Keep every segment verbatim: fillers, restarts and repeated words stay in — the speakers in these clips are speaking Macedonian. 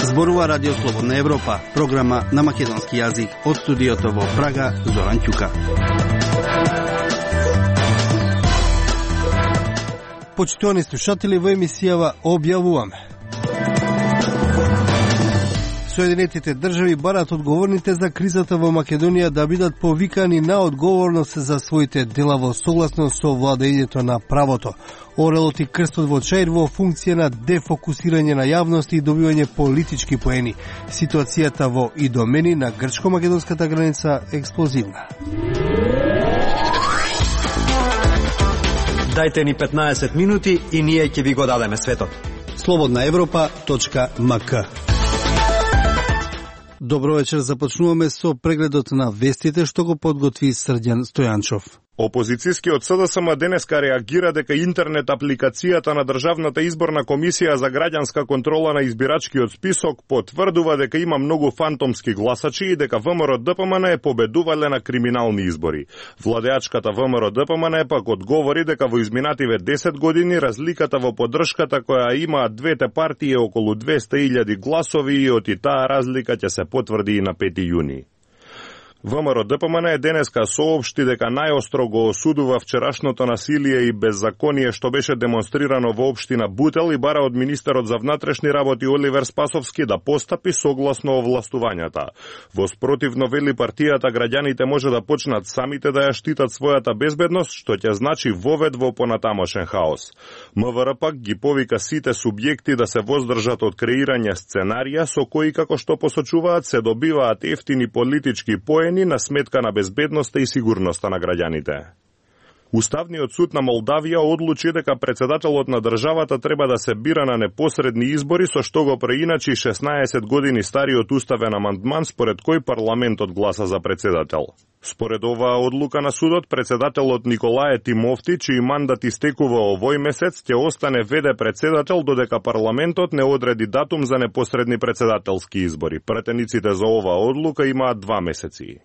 Зборува Радио Слободна Европа, програма на македонски јазик. Од студиото во Прага, Зоран Ќука. Почитувани слушатели, во емисијава објавуваме: Соединетите држави барат одговорните за кризата во Македонија да бидат повикани на одговорност за своите дела во согласно со владењето на правото. Орелот и крстот во Чаир во функција на дефокусирање на јавност и добивање политички поени. Ситуацијата во Идомени на грчко-македонската граница експлозивна. Дајте ни петнаесет минути и ние ќе ви го дадеме светот. слободна европа точка ем ка. Добро вечер, започнуваме со прегледот на вестите што го подготви Срđan Стојанчов. Опозицијскиот С Д С М денеска реагира дека интернет апликацијата на Државната изборна комисија за граѓанска контрола на избирачкиот список потврдува дека има многу фантомски гласачи и дека В М Р Д П М Н е победувале на криминални избори. Владеачката В М Р Д П М Н пак одговори дека во изминативе десет години разликата во поддршката која имаат двете партии е околу двесте илјади гласови и од и таа разлика ќе се потврди и на пети јуни. В М Р Д П М Н е денеска соопшти дека најостро го осудува вчерашното насилие и беззаконие што беше демонстрирано во општина Бутел и бара од министерот за внатрешни работи Оливер Спасовски да постапи согласно овластувањата. Во спротивно, вели партијата, граѓаните може да почнат самите да ја штитат својата безбедност, што ќе значи вовед во понатамошен хаос. М В Р пак ги повика сите субјекти да се воздржат од креирање сценарија со кои, како што посочуваат, се добиваат ефтини политички поени на сметка на безбедноста и сигурноста на граѓаните. Уставниот суд на Молдавија одлучи дека председателот на државата треба да се бира на непосредни избори, со што го преиначи шеснаесет години стариот уставен амандман според кој парламентот гласа за председател. Според оваа одлука на судот, председателот Николај Тимовти, чиј мандат истекува овој месец, ќе остане вд председател додека парламентот не одреди датум за непосредни председателски избори. Пратениците за оваа одлука имаат два месеци.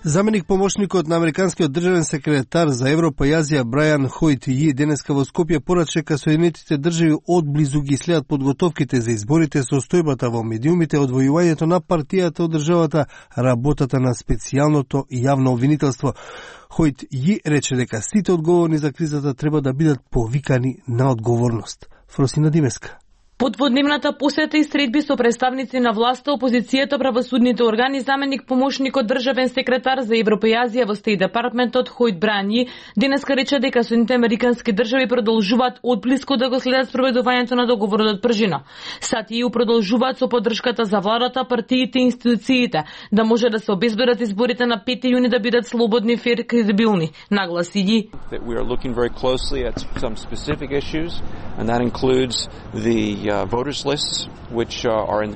Заменик помошникот на американскиот државен секретар за Европа и Азија Брајан Хојт Ји денеска во Скопје порача дека Соединетите држави одблизу ги следат подготовките за изборите, состојбата во медиумите, одвојувањето на партијата од државата, работата на специјалното јавно обвинителство. Хојт Ји рече дека сите одговорни за кризата треба да бидат повикани на одговорност. Фросина Димеска. Под дводневната посета и средби со представници на власта, опозицијата, правосудните органи, заменик помошникот државен секретар за Европа и Азија во Стейт департментот Хојт Брајан Ји денеска рече дека Соединетите американски држави продолжуваат одблиску да го следат спроведувањето на договорот од Пржина. САД и Е У продолжуваат со поддршката за владата, партиите и институциите да може да се обезбедат изборите на пети јуни да бидат слободни, фер и кредибилни, нагласи Ји. Uh, voters lists, which uh, are in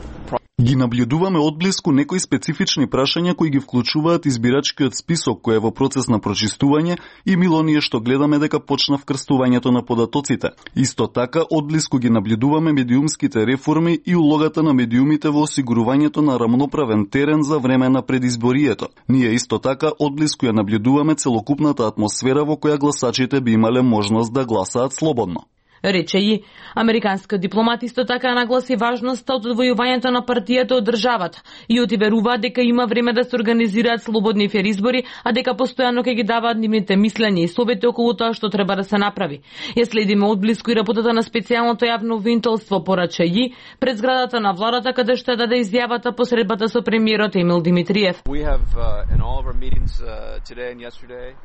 Ги наблюдуваме одблиску некои специфични прашања кои ги вклучуваат избирачкиот список кој е во процес на прочистување и мило ние што гледаме дека почна вкрстувањето на податоците. Исто така, одблиску ги наблюдуваме медиумските реформи и улогата на медиумите во осигурувањето на рамноправен терен за време на предизборието. Ние исто така одблиску ја наблюдуваме целокупната атмосфера во која гласачите би имале можност да гласаат слободно. Рече Ји. Американскиот дипломат исто така нагласи важноста од одвојувањето на партијата од државата и отверува дека има време да се организираат слободни фер избори, а дека постојано ќе ги даваат нивните мислења и совети околу тоа што треба да се направи. Ја следиме одблиску и работата на специјалното јавно обвинителство, порача Ји, пред зградата на владата каде што ја даде изјавата по средбата со премиерот Емил Димитриев. We have uh, in all of our meetings uh, today and yesterday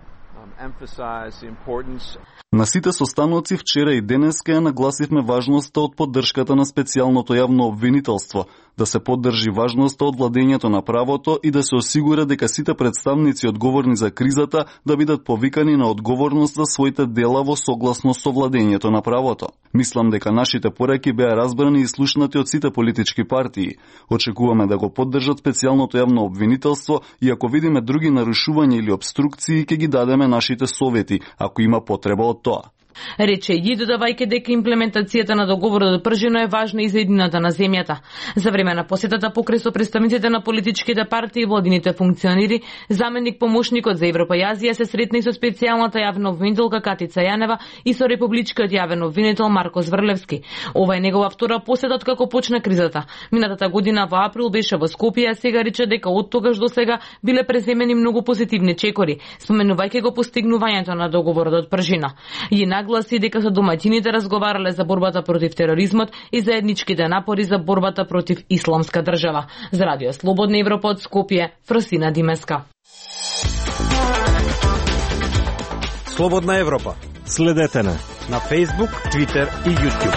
На сите состаноци вчера и денеска ја нагласивме важноста од поддршката на специјалното јавно обвинителство, да се поддржи важноста од владењето на правото и да се осигура дека сите представници одговорни за кризата да бидат повикани на одговорност за своите дела во согласно со владењето на правото. Мислам дека нашите пораки беа разбрани и слушнати од сите политички партии. Очекуваме да го поддржат специјалното јавно обвинителство и ако видиме други нарушувања или обструкции, ќе ги дадеме нашите совети, ако има потреба од тоа. Рече и додавајќи дека имплементацијата на договорот од Пржино е важна и за едината на земјата. За време на посетата покрај со представниците на политичките партии и владините функционери, заменик помошникот за Европа и Азија се сретна и со специјалната јавна обвинителка Катица Јанева и со републичкиот јавен обвинител Марко Зврлевски. Ова е негова втора посета од како почна кризата. Минатата година во април беше во Скопје, а сега рече дека од тогаш до сега биле преземени многу позитивни чекори, споменувајќи го постигнувањето на договорот од Пржина. И нагласи дека со домаќините разговарале за борбата против тероризмот и заедничките напори за борбата против исламска држава. За Радио Слободна Европа од Скопје, Фросина Димеска. Слободна Европа. Следете на на Facebook, Twitter и YouTube.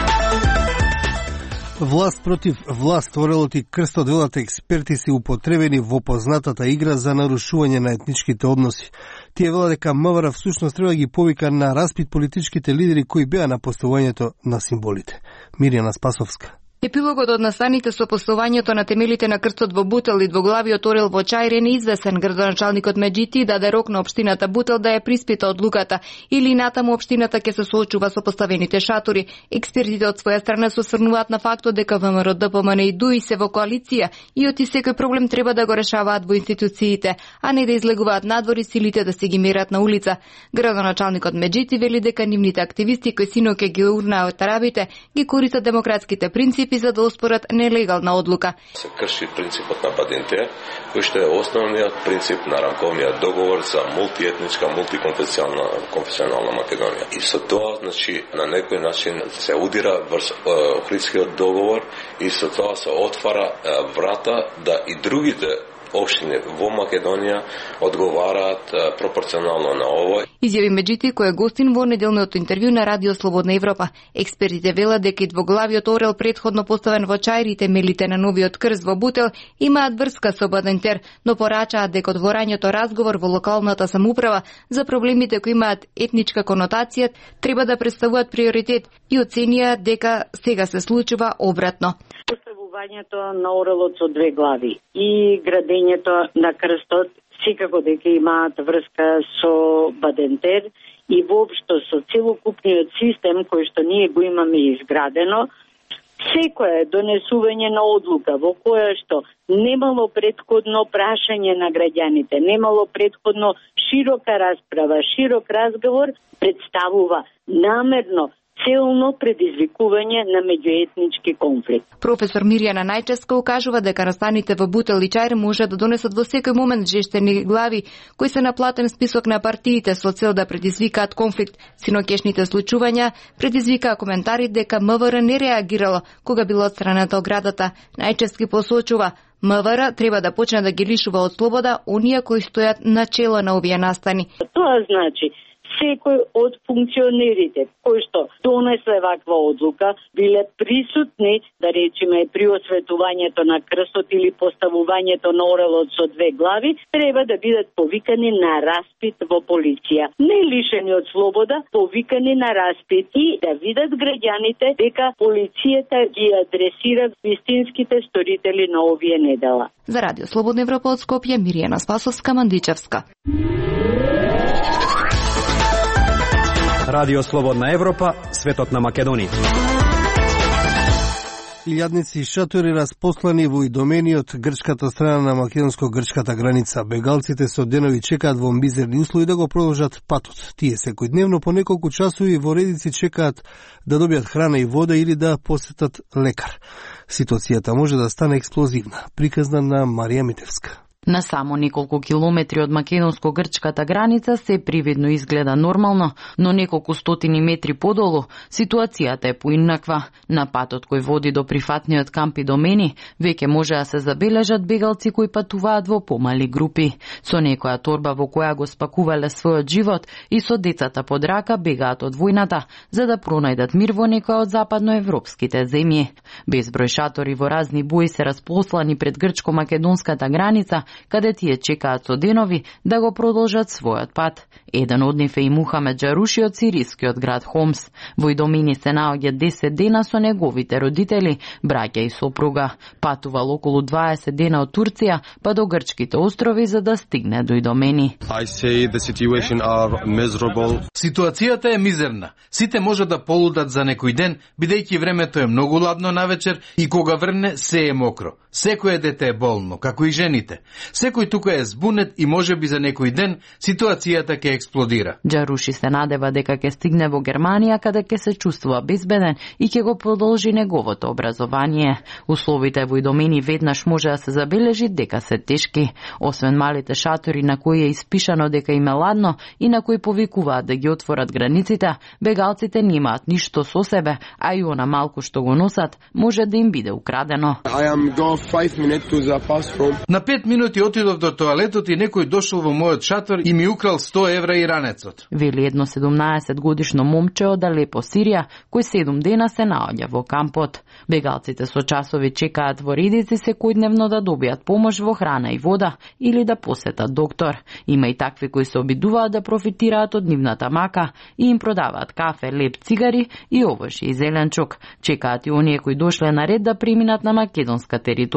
Власт против власт, орелот и крстот велат експерти се употребени во познатата игра за нарушување на етничките односи. Тие велат дека МВР всушност треба ги повика на распит политичките лидери кои беа на поставувањето на символите. Мирјана Спасовска. Епилогот од настаните со поставувањето на темелите на крстот во Бутел и двоглавиот орел во Чајре неизвестен. Градоначалникот Меджити даде рок на општината Бутел да ја приспита одлуката или натаму општината ќе се соочува со поставените шатори. Експертите од своја страна се осврнуваат на фактот дека ВМРО, ДПМН и ДУИ се во коалиција и оти секој проблем треба да го решаваат во институциите, а не да излегуваат надвори силите да се ги мерат на улица. Градоначалникот Меджити вели дека нивните активисти кои синоќе ги урнаат арабите ги користат демократските принципи за да оспорат нелегална одлука. Се крши принципот на Бадинте, кој што е основниот принцип на рамковниот договор за мултиетничка, мултиконфесионална конфесионална Македонија. И со тоа, значи, на некој начин се удира врз Охридскиот договор и со тоа се отвара врата да и другите општини во Македонија одговараат пропорционално на ова. Изјави Меджити кој е гостин во неделното интервју на Радио Слободна Европа. Експертите велат дека и двоглавиот орел претходно поставен во Чајри, темелите на новиот крст во Бутел имаат врска со Бадентер, но порачаат дека отворањето разговор во локалната самоуправа за проблемите кои имаат етничка конотација треба да представуваат приоритет и оценија дека сега се случува обратно. Поставувањето на орелот со две глави и градењето на крстот секако дека имаат врска со Бадентер и воопшто со целокупниот систем кој што ние го имаме изградено. Секое донесување на одлука во која што немало предходно прашање на граѓаните, немало предходно широка расправа, широк разговор, представува намерно целно предизвикување на меѓуетнички конфликт. Професор Мирјана Најчевска укажува дека настаните во Бутел и Чајре може да донесат во секој момент жештени глави кои се на платен список на партиите со цел да предизвикаат конфликт. Синокешните случувања предизвикаа коментари дека МВР не реагирало кога било отстранета оградата. Најчевски посочува МВР треба да почне да ги лишува од слобода оние кои стојат на чело на овие настани. Тоа значи секој од функционерите кои што донесле ваква одлука биле присутни, да речеме, при осветувањето на крстот или поставувањето на орелот со две глави, треба да бидат повикани на распит во полиција. Не лишени од слобода, повикани на распит и да видат граѓаните дека полицијата ги адресира вистинските сторители на овие недела. За Радио Слободна Европа од Скопје, Мирјана Спасовска, Мандичевска. Радио Слободна Европа, светот на Македонија. Илјадници шатори распослани во идомени од грчката страна на македонско-грчката граница. Бегалците со денови чекаат во мизерни услови да го продолжат патот. Тие секојдневно по неколку часови во редици чекаат да добијат храна и вода или да посетат лекар. Ситуацијата може да стане експлозивна. Приказна на Марија Митевска. На само неколку километри од македонско-грчката граница се привидно изгледа нормално, но неколку стотини метри подолу ситуацијата е поинаква. На патот кој води до прифатниот камп Идомени веќе може да се забележат бегалци кои патуваат во помали групи. Со некоја торба во која го спакувале својот живот и со децата под рака бегаат од војната за да пронајдат мир во некоја од западноевропските земји. Безброј шатори во разни бои се располслани пред грчко-македонската граница каде тие чекаат со денови да го продолжат својот пат. Еден од нив е и Мухамед Джаруши од сирискиот град Хомс. Во Идомени се наоѓа десет дена со неговите родители, браќа и сопруга. Патувал околу дваесет дена од Турција па до грчките острови за да стигне до Идомени. Ситуацијата е мизерна. Сите може да полудат за некој ден, бидејќи времето е многу ладно навечер и кога врне се е мокро. Секој дете е болно, како и жените. Секој тука е збунет и можеби за некој ден ситуацијата ќе експлодира. Джаруши се надева дека ќе стигне во Германија, каде ќе се чувствува безбеден и ќе го продолжи неговото образование. Условите во Идомени веднаш може да се забележи дека се тешки. Освен малите шатори на кои е испишано дека им е ладно и на кои повикуваат да ги отворат границите, бегалците немаат ништо со себе, а и она малку што го носат може да им биде украдено. На пет минути отидов до тоалетот и некој дошол во мојот шатор и ми украл сто евра и ранецот. Вели едно седумнаесет годишно момче од Алепо, Сирија, кој седум дена се наоѓа во кампот. Бегалците со часови чекаат во редици секојдневно да добијат помош во храна и вода или да посетат доктор. Има и такви кои се обидуваат да профитираат од нивната мака и им продаваат кафе, леп, цигари и овошје и зеленчук. Чекаат и оние кои дошле на ред да преминат на македонска територија.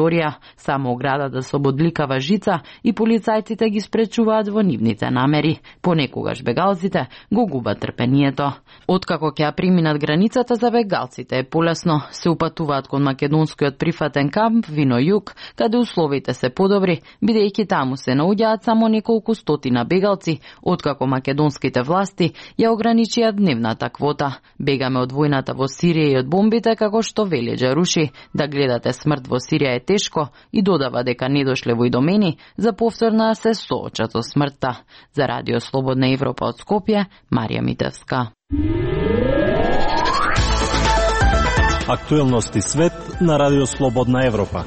Само оградата со бодликава жица и полицајците ги спречуваат во нивните намери. Понекогаш бегалците го губат трпението. Откако ќе преминат границата за бегалците е полесно. Се упатуваат кон македонскиот прифатен камп Вино Југ, каде условите се подобри, бидејќи таму се наоѓаат само неколку стотина бегалци, откако македонските власти ја ограничија дневната квота. Бегаме од војната во Сирија и од бомбите, како што вели Джаруши. Да гледате смрт во Сирија е тешко и додава дека не дошле во Идомени за повторно се соочат со смртта. За Радио Слободна Европа од Скопје, Марија Митевска. Актуелности свет на Радио Слободна Европа.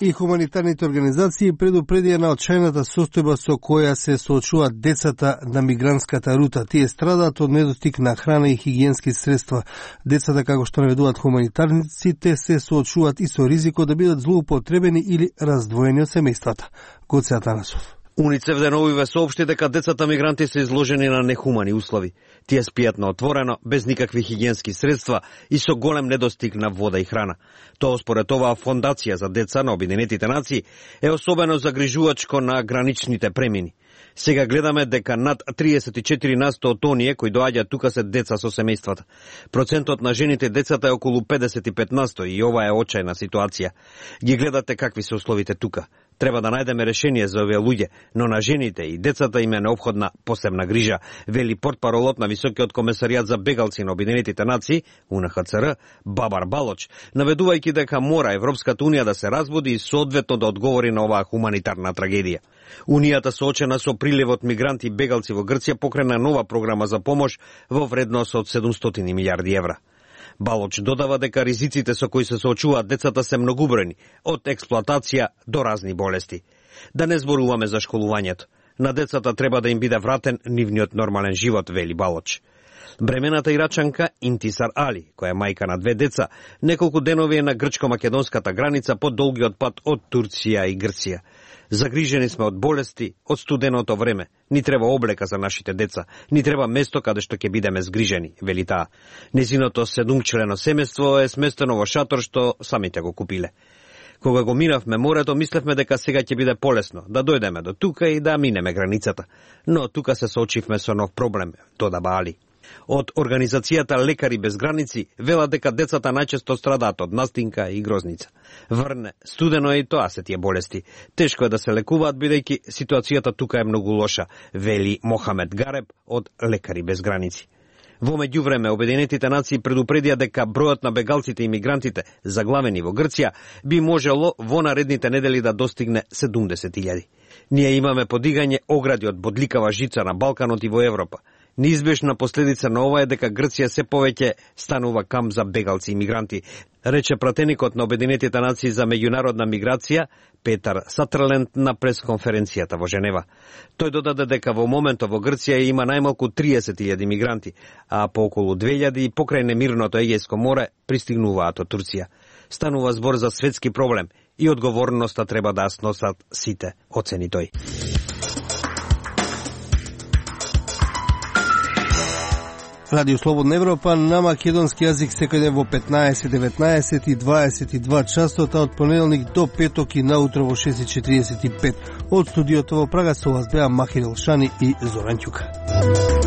И хуманитарните организации предупредија на отчајната состојба со која се соочуваат децата на мигрантската рута. Тие страдаат од недостиг на храна и хигиенски средства. Децата, како што наведуваат хуманитарниците, се соочуваат и со ризикот да бидат злоупотребени или раздвоени од семејствата. Гоце Атанасов. УНИЦЕФ деновиве соопшти дека децата мигранти се изложени на нехумани услови. Тие спијат на отворено, без никакви хигиенски средства и со голем недостиг на вода и храна. Тоа според оваа фондација за деца на Обединетите нации е особено загрижувачко на граничните премини. Сега гледаме дека над триесет и четири на сто од оние кои доаѓаат тука се деца со семејствата. Процентот на жените и децата е околу педесет и пет на сто и ова е очајна ситуација. Ги гледате какви се условите тука. Треба да најдеме решение за овие луѓе, но на жените и децата им е неопходна посебна грижа, вели портпаролот на Високиот комесаријат за бегалци на Обединетите нации, У Н Х Ц Р, Бабар Балоч, наведувајќи дека мора Европската унија да се разбуди и соодветно да одговори на оваа хуманитарна трагедија. Унијата соочена со приливот мигранти и бегалци во Грција покрена нова програма за помош во вредност од седумстотини милијарди евра. Балоч додава дека ризиците со кои се соочуваат децата се многубројни, од експлоатација до разни болести. Да не зборуваме за школувањето. На децата треба да им биде вратен нивниот нормален живот, вели Балоч. Бремената ирачанка Интисар Али, која е мајка на две деца, неколку денови е на грчко-македонската граница по долгиот пат од Турција и Грција. Загрижени сме од болести, од студеното време. Ни треба облека за нашите деца, ни треба место каде што ќе бидеме згрижени, вели таа. Незиното седумчлено семејство е сместено во шатор што самите го купиле. Кога го минавме морето, мислевме дека сега ќе биде полесно, да дојдеме до тука и да минеме границата. Но тука се соочивме со нов проблем, додаба Али. Од организацијата Лекари без граници велат дека децата најчесто страдаат од настинка и грозница. Врне, студено е и тоа се тие болести. Тешко е да се лекуваат, бидејќи ситуацијата тука е многу лоша, вели Мохамед Гареб од Лекари без граници. Во меѓувреме, Обединетите нации предупредија дека бројот на бегалците и мигрантите заглавени во Грција би можело во наредните недели да достигне седумдесет илјади. Ние имаме подигање огради од бодликава жица на Балканот и во Европа. Неизбежна последица на ова е дека Грција се повеќе станува камп за бегалци и мигранти, рече пратеникот на Обединетите нации за меѓународна миграција Петар Саттерленд на пресконференцијата во Женева. Тој додаде дека во моментот во Грција има најмалку триесет илјади мигранти, а по околу две илјади покрај немирното Егејско море пристигнуваат од Турција. Станува збор за светски проблем и одговорноста треба да сносат сите, оцени тој. Радио Слободна Европа на македонски јазик секој ден во петнаесет, деветнаесет и дваесет и два часот, а од понеделник до петок и наутро во шест и четиридесет и пет. Од студиото во Прага со вас беа Махир Елшани и Зоран Ќука.